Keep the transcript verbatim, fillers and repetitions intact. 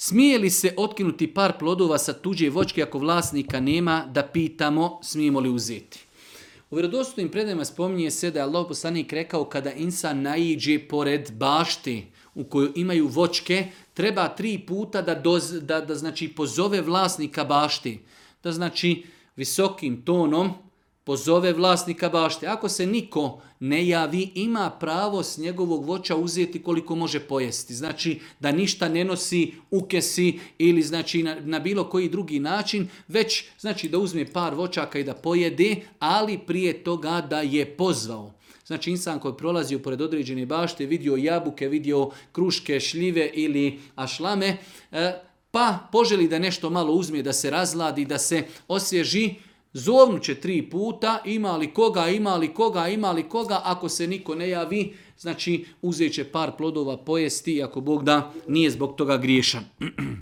Smije li se otkinuti par plodova sa tuđe voćke ako vlasnika nema, da pitamo smijemo li uzeti? U vjerodostojnim predajama spominje se da je Allah poslanik rekao kada insan naiđe pored bašti u kojoj imaju voćke, treba tri puta da, doz, da, da znači pozove vlasnika bašti. Da znači visokim tonom pozove vlasnika bašte. Ako se niko ne javi, ima pravo s njegovog voća uzeti koliko može pojesti. Znači da ništa ne nosi, ukesi ili znači na, na bilo koji drugi način, već znači da uzme par voćaka i da pojede, ali prije toga da je pozvao. Znači insan koji je prolazio pored određene bašte, vidio jabuke, vidio kruške, šljive ili ašlame, pa poželi da nešto malo uzme, da se razladi, da se osvježi, zovnuće tri puta, ima li koga, ima li koga, ima li koga, ako se niko ne javi, znači uzet će par plodova pojesti, ako Bog da nije zbog toga griješan.